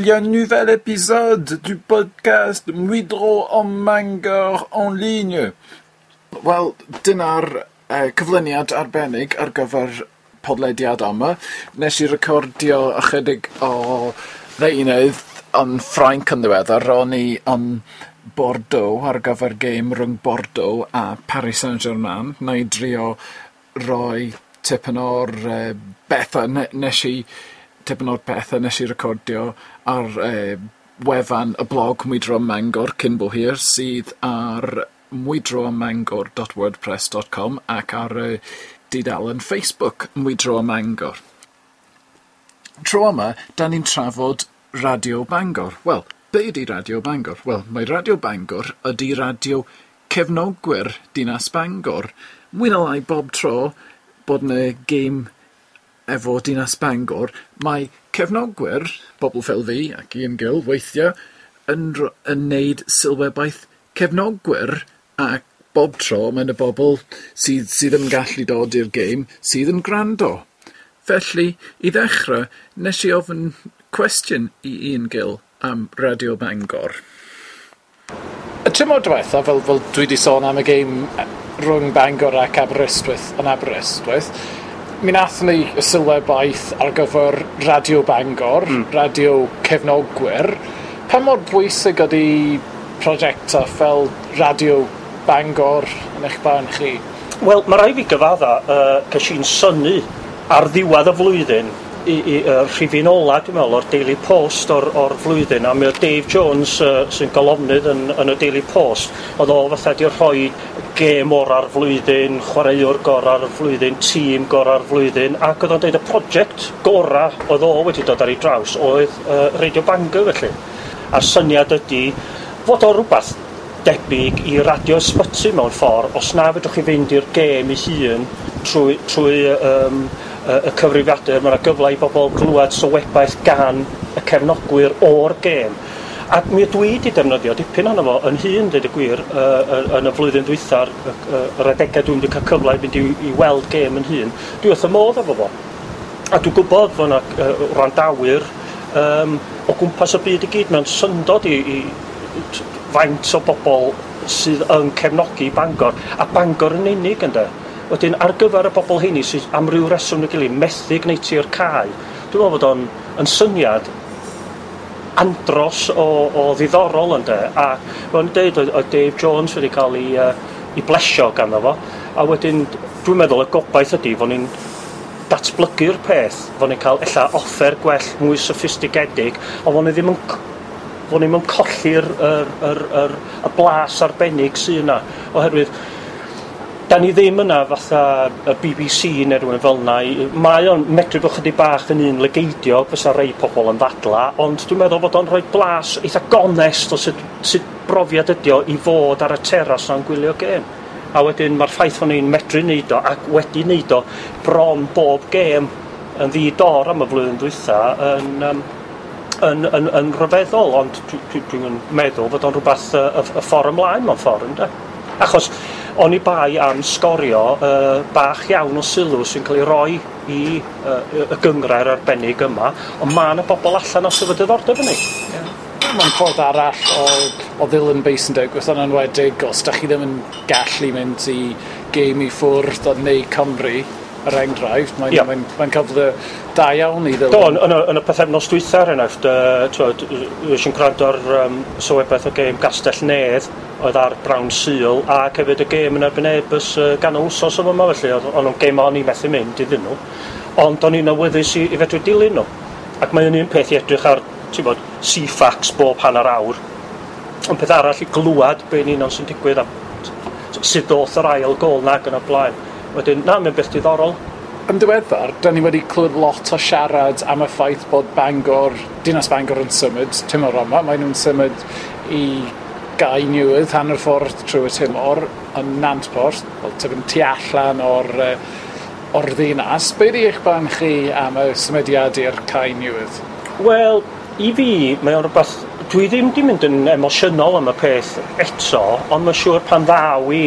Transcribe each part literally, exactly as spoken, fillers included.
Il y a un nouvel épisode du podcast Mwydro ym Mangor en ligne. Wel, dyna'r uh, cyflwyniad arbennig ar gyfer podlediad yma. Nes i recordio ychydig o ddeunydd yn Ffrainc yn ddiweddar. Ro'n i yn Bordeaux ar gyfer gêm rhwng Bordeaux a Paris Saint-Germain. Na i drio roi tipyn o'r uh, bethau ne nes i tipyn o'r pethau nes i recordio ar uh, wefan y blog Mwydro Mangor cyn bo hir, sydd ar mwydromangor dot wordpress dot com ac ar y uh, dudalen Facebook Mwydro Mangor. Tro yma, da ni'n trafod Radio Bangor. Wel, be ydi Radio Bangor? Wel, mae Radio Bangor ydi radio cefnogwyr Dinas Bangor. Mwy na lai bob tro bod 'na gêm efo Dinas Bangor, mae cefnogwyr, bobl fel fi ac Ian Gill weithiau, yn, yn neud sylwebaeth cefnogwyr, ac bob tro mae yna bobl sydd, sydd ddim yn gallu dod i'r gêm sydd yn gwrando. Felly, i ddechrau, nes i ofyn cwestiwn i Ian Gill am Radio Bangor. Y tymor diwetha, fel, fel dwi wedi sôn am y gêm rhwng Bangor ac Aberystwyth yn Aberystwyth, mi nathon ni y sylwebaeth ar gyfer Radio Bangor, mm. radio cefnogwyr. Pa mor bwysig ydy prosiectau fel Radio Bangor yn eich barn chi? Wel, mae rhaid fi gyfadda, uh, ces i'n synnu ar ddiwedd y flwyddyn, i, i uh, rhifyn ola, dwi'n meddwl, o'r Daily Post o'r, o'r flwyddyn, a mi oedd Dave Jones, uh, sy'n golofnydd yn, yn y Daily Post, oedd o fatha di rhoi gêm ora'r flwyddyn, chwaraewr gora'r flwyddyn, tîm gora'r flwyddyn, ac oedd o'n dweud y prosiect gora oedd o wedi dod ar ei draws oedd uh, Radio Bangor felly. A'r syniad ydy fod o rhywbeth debyg i Radio Ysbyty mewn ffordd, os na fedrwch chi fynd i'r gêm ei hun trwy, trwy um, y cyfrifiadur, mae yna gyfle i bobl glywed sylwebaeth gan y cefnogwyr o'r gêm. Ac mi ydw i wedi defnyddio dipyn ohono fo yn hun, dweud y gwir, uh, yn y flwyddyn dwytha'r yr adegau dwi'n wedi cael cyfle i fynd i, i weld gêm yn hun. Dwi wrth y modd efo fo. A dwi'n gwybod fod yna uh, wrandawyr um, o gwmpas y byd i gyd mewn syndod i, i faint o bobl sydd yn cefnogi Bangor, a Bangor yn unig ynde. Wedyn, ar gyfer y bobl heini sydd am ryw reswm neu gilydd methu gwneud ti'r cae, dwi'n meddwl fod o'n yn syniad andros o, o ddiddorol ynde. A fel o'n dweud, oedd, oedd Dave Jones wedi cael ei, uh, ei blesio ganddo fo, a wedyn dwi'n meddwl y gobaith ydy fod ni'n datblygu'r peth, fod ni'n cael ella offer gwell, mwy soffistigedig, ond fod ni ddim yn fod ni'n colli'r yr, yr, yr, y blas arbennig sydd yna, oherwydd da ni ddim yna fatha y B B C neu rhywun fel yna. Mae o'n medru bod chydig bach yn un lygeidiog fysa rei pobl yn ddadla, ond dwi'n meddwl bod o'n rhoi blas eitha gonest o sut, sut brofiad ydi o i fod ar y teras na'n gwylio gêm. A wedyn mae'r ffaith fod ni'n medru neud o ac wedi neud o bron bob gêm yn ddi-dor am y flwyddyn dwytha yn, um, yn, yn, yn rhyfeddol, ond dwi'n dwi, dwi meddwl fod o'n rhywbeth y, y, y ffordd ymlaen mewn ffordd, ynde? Achos o'n i bai am sgorio uh, bach iawn o sylw sy'n cael ei roi i uh, y gynghrair arbennig yma, ond mae yna bobl allan os efo diddordeb yn ei. Yeah. Mae'n ffordd arall o, o ddilyn beth sy'n digwydd, yn enwedig os da chi ddim yn gallu mynd i gêm i ffwrdd neu Cymru, er enghraifft, mae'n yeah. mae'n, mae'n cyfle da iawn i ddilyn. Do, yn, yn, y, yn y pythefnos dwytha, er enghraifft, uh, es i'n gwrando ar um, sylwebaeth o gêm Gastell Nedd, oedd ar Brown Sul, ac hefyd y gêm yn erbyn Airbus uh, ganol wsos o yma, felly, oedd o'n gêm o'n i methu mynd iddyn nhw, ond o'n i'n awyddus i, i fedru dilyn nhw. Ac mae'n un peth i edrych ar, ti'n bod, C FAX bob hanner awr, ond peth arall i glwad be'n union sy'n digwydd a sut ddoth yr ail gôl nag yn y blaen. Wedyn, na, mae'n beth diddorol. Yn diweddar, da ni wedi clywed lot o siarad am y ffaith bod Bangor, Dinas Bangor yn symud tymor yma. Maen nhw'n symud i gae newydd hanner ffordd trwy y tymor yn Nantporth, wel, tipyn tu allan o'r, o'r ddinas. Be di eich barn chi am y symudiad i'r cae newydd? Wel, i fi, mae o'n rhywbeth... Dwi ddim di mynd yn emosiynol am y peth eto, ond mae'n siŵr pan ddaw i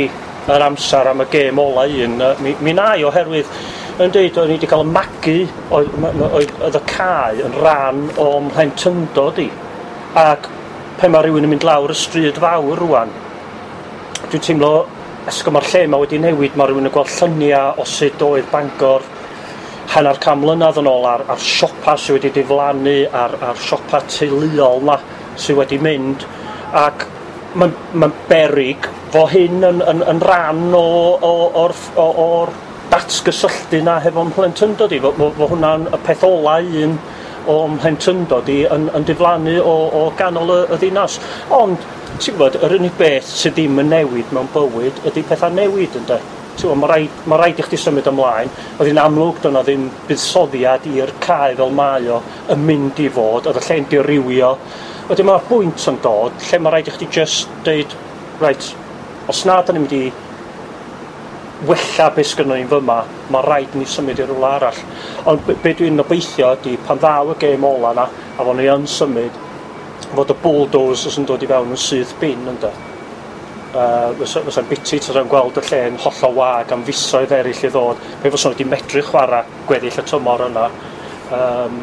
yr amser am y gêm ola un, mi, mi na i, oherwydd Yn deud, o'n i wedi cael y magu, oedd, oedd, oedd y cae yn rhan o'm mhlentyndod i. Ac pe mae rhywun yn mynd lawr y stryd fawr rwan, dwi'n teimlo, esgo mae'r lle yma wedi newid, mae rhywun yn gweld lluniau o sut oedd Bangor hanner can mlynedd yn ôl ar, ar siopa sydd wedi diflannu, ar, ar siopa teuluol na sydd wedi mynd, ac mae'n ma berig fo hyn yn, yn, yn rhan o, o, o'r, o, o'r datgysylltu na hefo mhlentyndod i, fo, fo, fo hwnna'n y peth ola un o mhlentyndod i yn, yn diflannu o, o ganol y, y ddinas. Ond, ti'n gwybod, yr unig beth sydd ddim yn newid mewn bywyd ydy pethau newid, ynde? Ti'n gwybod, mae rhaid, ma rhaid i chdi symud ymlaen. Oedd hi'n amlwg doedd 'na ddim buddsoddiad i'r cae fel mae o yn mynd i fod, oedd y lle'n dirywio. Wedyn mae'r bwynt yn dod lle mae rhaid i chdi just deud, reit, os na da ni'n mynd i wella beth sgynnon ni fyma, mae rhaid ni symud i rywle arall. Ond be, be dwi'n obeithio ydy, pan ddaw y gêm ola na, a fod ni yn symud, fod y bulldozers yn dod i fewn yn syth bin, ynde. Uh, fysa, fysa'n biti tasa'n gweld y lle'n hollol wag am fisoedd eraill i ddod, pe fysa wedi medru chwarae gweddill y tymor yna. Um,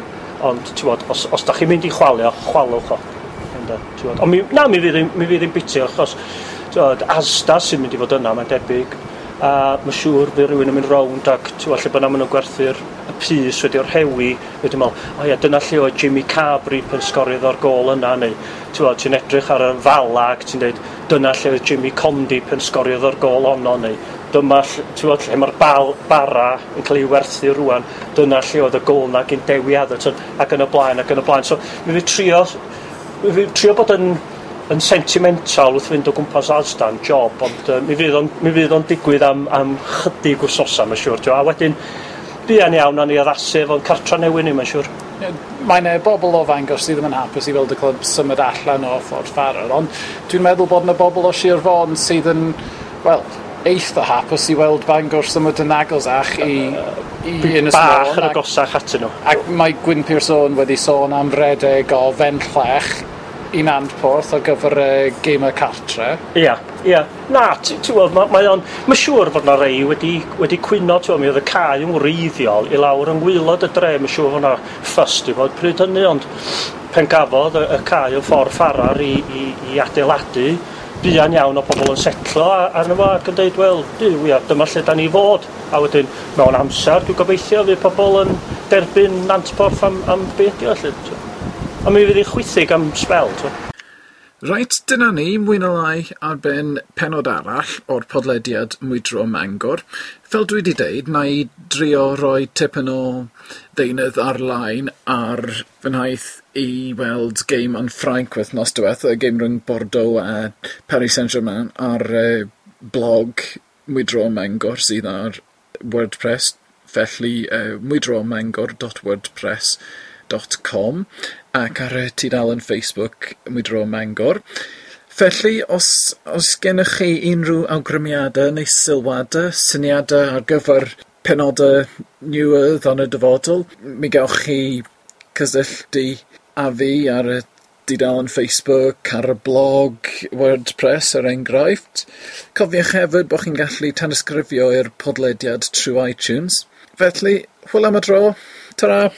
ond, ti'n bod, os, os da chi'n mynd i chwalio, chwalwch o. Ynde, ti'n bod. Ond mi, na, mi fydd hi'n mi fydd hi'n biti, achos ti'n bod, Asda sy'n mynd i fod yna, mae'n debyg. A mae'n siŵr fydd rhywun yn mynd rownd ac ti'n gwbod, lle bynnag maen nhw'n gwerthu'r y pys wedi o'r rhewi, wedi meddwl, o ia, dyna lle oedd Jimmy Carberry pan sgoriodd o'r gôl yna, neu ti'n gwbod, ti'n edrych ar y fala ac ti'n dweud, dyna lle oedd Jimmy Condy pan sgoriodd o'r gôl honno, neu dyma, lle- ti'n gwbod, lle mae'r bal, bara yn cael ei werthu rwan, dyna lle oedd y gôl na gyn Dewi Atherton, ac yn y blaen, ac yn y blaen. So, mi fydd trio, mi fydd trio bod yn yn sentimental wrth fynd o gwmpas Asda'n job, ond uh, mi fydd o'n, mi fydd o'n digwydd am, am chydig wsnosa, mae'n siŵr. T'wo. A wedyn, buan iawn nawn ni addasu efo'n cartra newydd ni, mae'n siŵr. Mae yna bobl o Fangor sydd ddim yn hapus i weld y clwb symud allan o Ffordd Ffarer, ond dwi'n meddwl bod yna bobl o Sir Fôn sydd yn, wel, eitha hapus i weld Bangor symud yn agosach i, i Ynys Bach Môn. yn Ac, agosach atyn nhw. ac mae Gwyn Pierce Owen wedi sôn am redeg o Fenllech i Nantporth ar gyfer y gemau cartre. Ia, ia. Na, ti ti'n gweld, mae, mae o'n... Mae'n siŵr fod na rei wedi, wedi cwyno, ti'n gweld, mi oedd y cae yn wreiddiol i lawr yng ngwaelod y dre, mae'n siŵr fod na ffys di fod pryd hynny, ond pen gafodd y, y cae yn Ffordd Ffarar i, i, i adeiladu, buan iawn o pobl yn setlo a- arno fo ac yn dweud, wel, duw, ia, dyma lle da ni fod. A wedyn, mewn amser, dwi'n gobeithio fydd pobl yn derbyn Nantporth am, am be ydi o, felly. t'wo. Ond mi fydd hi'n chwithig am sbel, t'wo. Reit, dyna ni, mwy na lai ar ben penod arall o'r podlediad Mwydro Mangor. Fel dwi wedi deud, na i drio roi tipyn o ddeunydd ar-lein ar fy nhaith i weld gêm yn Ffrainc wythnos diwetha, y gêm rhwng Bordeaux a Paris Saint-Germain ar uh, blog Mwydro Mangor sydd ar WordPress, felly uh, mwydromangor dot wordpress dot com ac ar y tudalen Facebook Mwydro Mangor. Felly, os, os gennych chi unrhyw awgrymiadau neu sylwadau, syniadau ar gyfer penodau newydd yn y dyfodol, mi gewch chi cysylltu â fi ar y dudalen Facebook, ar y blog WordPress er enghraifft. Cofiwch hefyd bod chi'n gallu tanysgrifio i'r podlediad trwy iTunes. Felly, hwyl am y tro. Ta-ra!